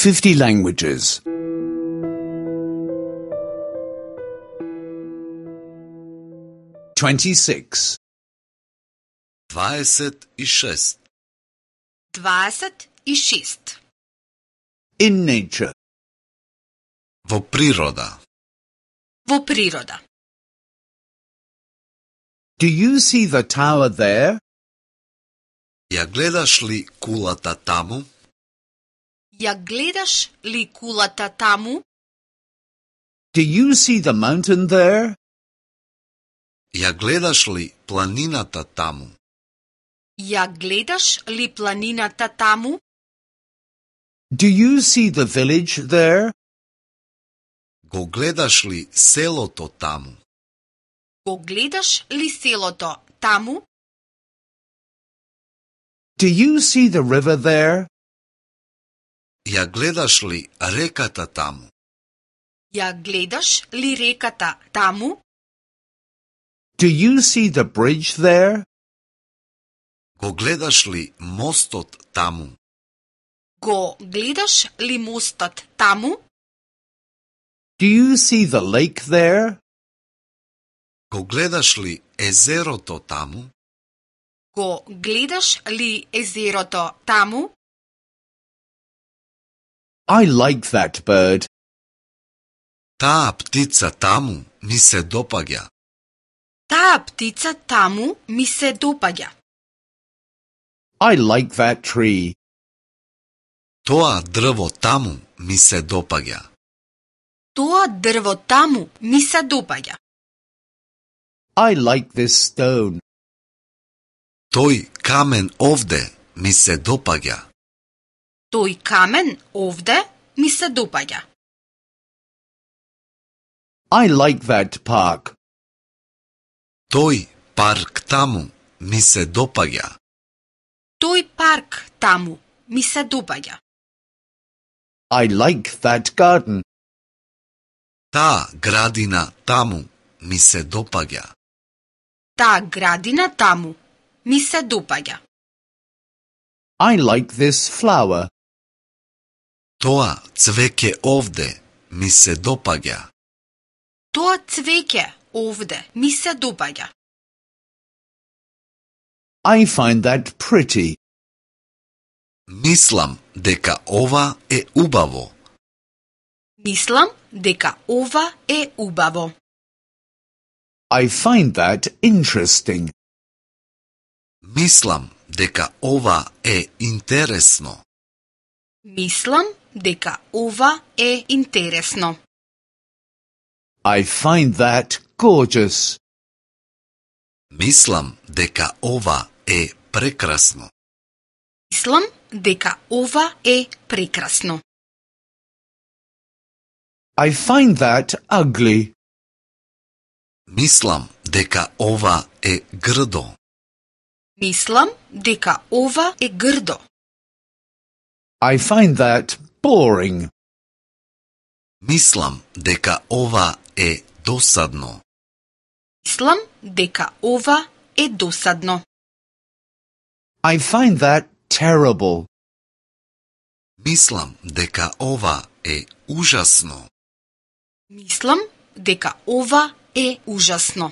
50 languages. 26. 26. 26. In nature. Во природа. Во природа. Do you see the tower there? Ја гледаш ли кулата таму? Ја гледаш ли кулата таму? Do you see the mountain there? Ја гледаш ли планината таму? Ја гледаш ли планината таму? Do you see the village there? Го гледаш ли селото таму? Го гледаш ли селото таму? Do you see the river there? Ја гледаш ли реката таму? Ја гледаш ли реката таму? Do you see the bridge there? Го гледаш ли мостот таму? Го гледаш ли мостот таму? Do you see the lake there? Го гледаш ли езерото таму? Го гледаш ли езерото таму? I like that bird. Таа птица таму ми се допаѓа. Таа птица таму ми се допаѓа. I like that tree. Тоа дрво таму ми се допаѓа. Тоа дрво таму ми се допаѓа. I like this stone. Тој камен овде ми се допаѓа. Тој камен овде ми се допаѓа. I like that park. Тој парк таму ми се допаѓа. Тој парк таму ми се допаѓа. I like that garden. Таа градина таму ми се допаѓа. Таа градина таму ми се допаѓа. I like this flower. Тоа цвеќе овде ми се допаѓа. Тоа цвеќе овде ми се допаѓа. I find that pretty. Мислам дека ова е убаво. Мислам дека ова е убаво. I find that interesting. Мислам дека ова е интересно. Мислам дека ова е интересно. I find that gorgeous. Мислам дека ова е прекрасно. Мислам дека ова е прекрасно. I find that ugly. Мислам дека ова е грдо. Мислам дека ова е грдо. I find that boring. Мислам дека ова е досадно. Мислам дека ова е досадно. I find that terrible. Мислам дека ова е ужасно. Мислам дека ова е ужасно.